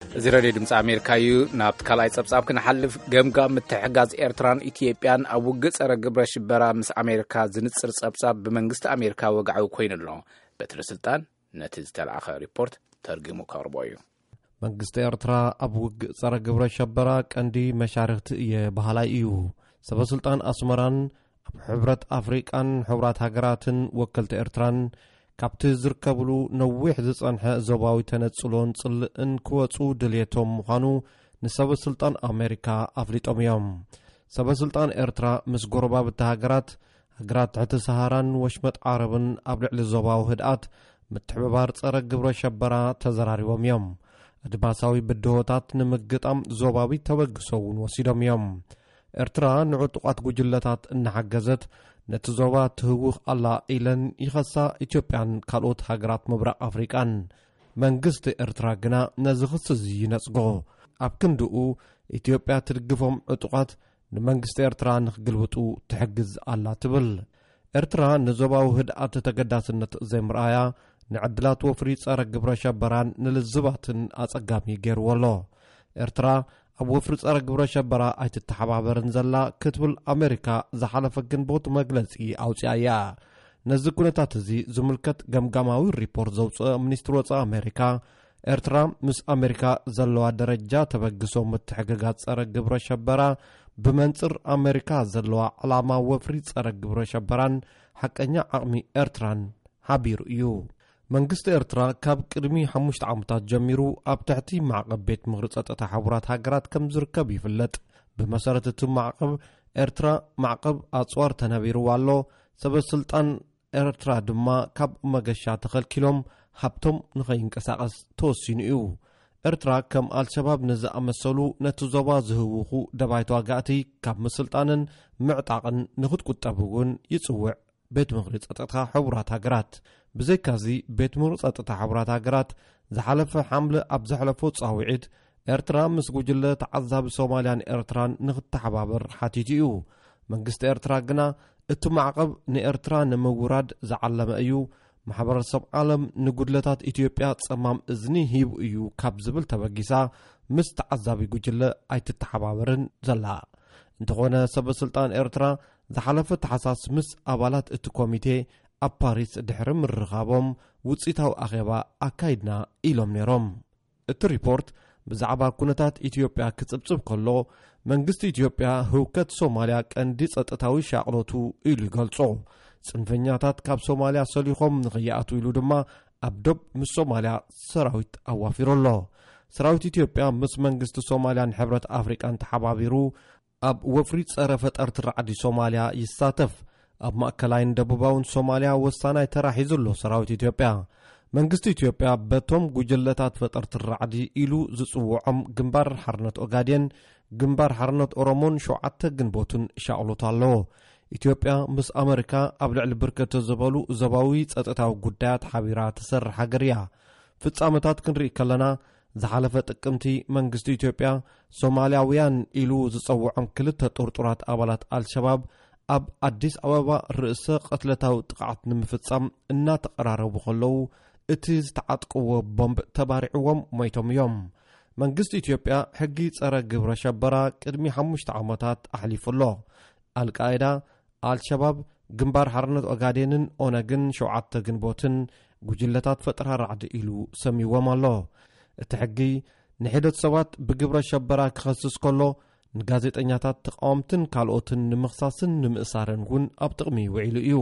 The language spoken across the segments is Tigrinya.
እዚ ሬድዮ ድምፂ ኣሜሪካ እዩ። ናብቲ ካልኣይ ፀብፃብ ክንሓልፍ፣ ገምጋም ምትሕጋዝ ኤርትራን ኢትዮጵያን ኣብ ውግእ ፀረ ግብረ ሽበራ ምስ ኣሜሪካ ዝንፅር ፀብፃብ ብመንግስቲ ኣሜሪካ ወግዓዊ ኮይኑ ኣሎ። በትሪ ስልጣን ነቲ ዝተላእኸ ሪፖርት ተርጊሙ ከቕርቦ እዩ። መንግስቲ ኤርትራ ኣብ ውግእ ጸረ ግብረ ሸበራ ቀንዲ መሻርኽቲ እየ በሃላይ እዩ። ሰበ ስልጣን ኣስመራን ኣብ ሕብረት ኣፍሪቃን ሕቡራት ሃገራትን ወከልቲ ኤርትራን ካብቲ ዝርከብሉ ነዊሕ ዝጸንሐ ዞባዊ ተነጽሎን ጽልእን ክወጹ ድልየቶም ምዃኑ ንሰበ ስልጣን ኣሜሪካ ኣፍሊጦም እዮም። ሰበ ስልጣን ኤርትራ ምስ ጎረባብቲ ሃገራት፣ ሃገራት ትሕቲ ሰሃራን ወሽመጥ ዓረብን ኣብ ልዕሊ ዞባዊ ህድኣት ምትሕብባር ጸረ ግብረ ሸበራ ተዘራሪቦም እዮም። ኣድማሳዊ ብድሆታት ንምግጣም ዞባዊ ተበግሶ እውን ወሲዶም እዮም። ኤርትራ ንዕጡቓት ጉጅለታት እናሓገዘት ነቲ ዞባ ትህውኽ ኣላ ኢለን ይኸሳ ኢትዮጵያን ካልኦት ሃገራት ምብራቕ ኣፍሪቃን። መንግስቲ ኤርትራ ግና ነዚ ክሲ እዚ ይነጽጎ። ኣብ ክንድኡ ኢትዮጵያ ትድግፎም ዕጡቓት ንመንግስቲ ኤርትራ ንኽግልብጡ ትሕግዝ ኣላ ትብል። ኤርትራ ንዞባዊ ህድኣት ተገዳስነት ዘይምርኣያ ንዕድላት ወፍሪ ጸረ ግብረ ሸበራን ንልዝባትን ኣጸጋሚ ገይርዎ ኣሎ። ኤርትራ ኣብ ወፍሪ ጸረ ግብረ ሸበራ ኣይትተሓባበርን ዘላ ክትብል ኣሜሪካ ዝሓለፈ ግንቦት መግለጺ ኣውጺኣ እያ። ነዚ ኩነታት እዚ ዝምልከት ገምጋማዊ ሪፖርት ዘውጽአ ሚኒስትሪ ወጻኢ ኣሜሪካ፣ ኤርትራ ምስ ኣሜሪካ ዘለዋ ደረጃ ተበግሶ ምትሕግጋዝ ጸረ ግብረ ሸበራ ብመንጽር ኣሜሪካ ዘለዋ ዕላማ ወፍሪ ጸረ ግብረ ሸበራን ሓቀኛ ዓቕሚ ኤርትራን ሓቢሩ እዩ። መንግስቲ ኤርትራ ካብ ቅድሚ ሓሙሽተ ዓመታት ጀሚሩ ኣብ ትሕቲ ማዕቐብ ቤት ምኽሪ ጸጥታ ሕቡራት ሃገራት ከም ዝርከብ ይፍለጥ። ብመሰረት እቲ ማዕቐብ፣ ኤርትራ ማዕቐብ ኣጽዋር ተነቢርዋ ኣሎ። ሰበ ስልጣን ኤርትራ ድማ ካብ መገሻ ተኸልኪሎም ሃብቶም ንኸይንቀሳቐስ ተወሲኑ እዩ። ኤርትራ ከም ኣልሸባብ ንዝኣመሰሉ ነቲ ዞባ ዝህውኹ ደባይ ተዋጋእቲ ካብ ምስልጣንን ምዕጣቕን ንኽትቁጠብ እውን ይጽውዕ ቤት ምኽሪ ጸጥታ ሕቡራት ሃገራት። ብዘይካዚ፣ ቤት ምኽሪ ጸጥታ ሕቡራት ሃገራት ዝሓለፈ ሓምለ ኣብ ዘሕለፎ ጻውዒት፣ ኤርትራ ምስ ጉጅለ ተዓዛቢ ሶማልያን ኤርትራን ንኽተሓባበር ሓቲቱ እዩ። መንግስቲ ኤርትራ ግና፣ እቲ ማዕቐብ ንኤርትራ ንምውራድ ዝዓለመ እዩ፣ ማሕበረሰብ ዓለም ንጉድለታት ኢትዮጵያ ጸማም እዝኒ ሂቡ እዩ ካብ ዝብል ተበጊሳ፣ ምስ ተዓዛቢ ጉጅለ ኣይትተሓባበርን ዘላ። እንተኾነ፣ ሰበ ስልጣን ኤርትራ ዝሓለፈ ታሕሳስ ምስ ኣባላት እቲ ኮሚቴ ኣብ ፓሪስ ድሕሪ ምርኻቦም፣ ውጽኢታዊ ኣኼባ ኣካይድና ኢሎም ነይሮም። እቲ ሪፖርት ብዛዕባ ኩነታት ኢትዮጵያ ክጽብጽብ ከሎ፣ መንግስቲ ኢትዮጵያ ህውከት ሶማልያ ቀንዲ ጸጥታዊ ሻቕሎቱ ኢሉ ይገልጾ። ጽንፈኛታት ካብ ሶማልያ ሰሊኾም ንኸይኣትዉ ኢሉ ድማ ኣብ ዶብ ምስ ሶማልያ ሰራዊት ኣዋፊሩ ኣሎ። ሰራዊት ኢትዮጵያ ምስ መንግስቲ ሶማልያን ሕብረት ኣፍሪቃን ተሓባቢሩ ኣብ ወፍሪ ጸረ ፈጠርቲ ራዕዲ ሶማልያ ይሳተፍ። ኣብ ማእከላይን ደቡባውን ሶማልያ ወሳናይ ተራ ሒዙ ኣሎ ሰራዊት ኢትዮጵያ። መንግስቲ ኢትዮጵያ በቶም ጉጅለታት ፈጠርቲ ራዕዲ ኢሉ ዝጽውዖም ግንባር ሓርነት ኦጋዴን፣ ግንባር ሓርነት ኦሮሞን ሸውዓተ ግንቦትን ሻቕሎት ኣለዎ። ኢትዮጵያ ምስ ኣመሪካ ኣብ ልዕሊ ብርክት ዝበሉ ዞባዊ ጸጥታዊ ጉዳያት ሓቢራ ትሰርሕ ሃገር እያ። ፍጻመታት ክንርኢ ከለና፣ ዝሓለፈ ጥቅምቲ መንግስቲ ኢትዮጵያ ሶማልያውያን ኢሉ ዝጸውዖም ክልተ ጥርጡራት ኣባላት ኣልሸባብ ኣብ ኣዲስ ኣበባ ርእሰ ቅትለታዊ ጥቕዓት ንምፍጻም እናተቐራረቡ ከለዉ፣ እቲ ዝተዓጥቀዎ ቦምብ ተባሪዕዎም ሞይቶም እዮም። መንግስቲ ኢትዮጵያ ሕጊ ጸረ ግብረ ሸበራ ቅድሚ ሓሙሽተ ዓመታት ኣሕሊፉ ኣሎ። ኣልቃይዳ፣ ኣልሸባብ፣ ግንባር ሓርነት ኦጋዴንን ኦነግን ሸውዓተ ግንቦትን ጉጅለታት ፈጠራ ራዕዲ ኢሉ ሰሚዎም ኣሎ። እቲ ሕጊ ንሒደት ሰባት ብግብረ ሸበራ ክኸስስ ከሎ፣ ንጋዜጠኛታት፣ ተቃወምትን ካልኦትን ንምኽሳስን ንምእሳርን እውን ኣብ ጥቕሚ ውዒሉ እዩ።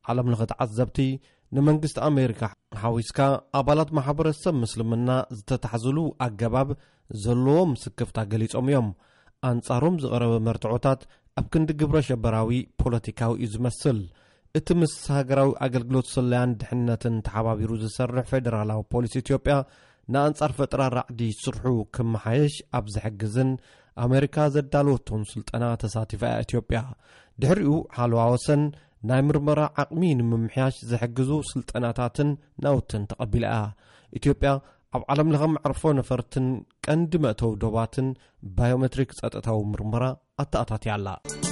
ዓለም ለኸ ተዓዘብቲ፣ ንመንግስቲ ኣሜሪካ ሓዊስካ፣ ኣባላት ማሕበረሰብ ምስልምና ዝተታሕዝሉ ኣገባብ ዘለዎም ስክፍታ ገሊጾም እዮም። ኣንጻሮም ዝቐረበ መርትዖታት ኣብ ክንዲ ግብረ ሸበራዊ ፖለቲካዊ እዩ ዝመስል። እቲ ምስ ሃገራዊ ኣገልግሎት ስለያን ድሕነትን ተሓባቢሩ ዝሰርሕ ፌደራላዊ ፖሊስ ኢትዮጵያ፣ ንኣንጻር ፈጠራ ራዕዲ ስርሑ ክመሓየሽ ኣብ ዝሕግዝን ኣሜሪካ ዘዳለወቶን ስልጠና ተሳቲፋ እያ ኢትዮጵያ። ድሕሪኡ ሓለዋ ወሰን፣ ናይ ምርመራ ዓቕሚ ንምምሕያሽ ዝሕግዙ ስልጠናታትን ናውትን ተቐቢላ እያ። ኢትዮጵያ ኣብ ዓለም ለኸ መዕርፎ ነፈርትን ቀንዲ መእተዊ ዶባትን ባዮሜትሪክ ጸጥታዊ ምርመራ ኣተኣታትያ ኣላ።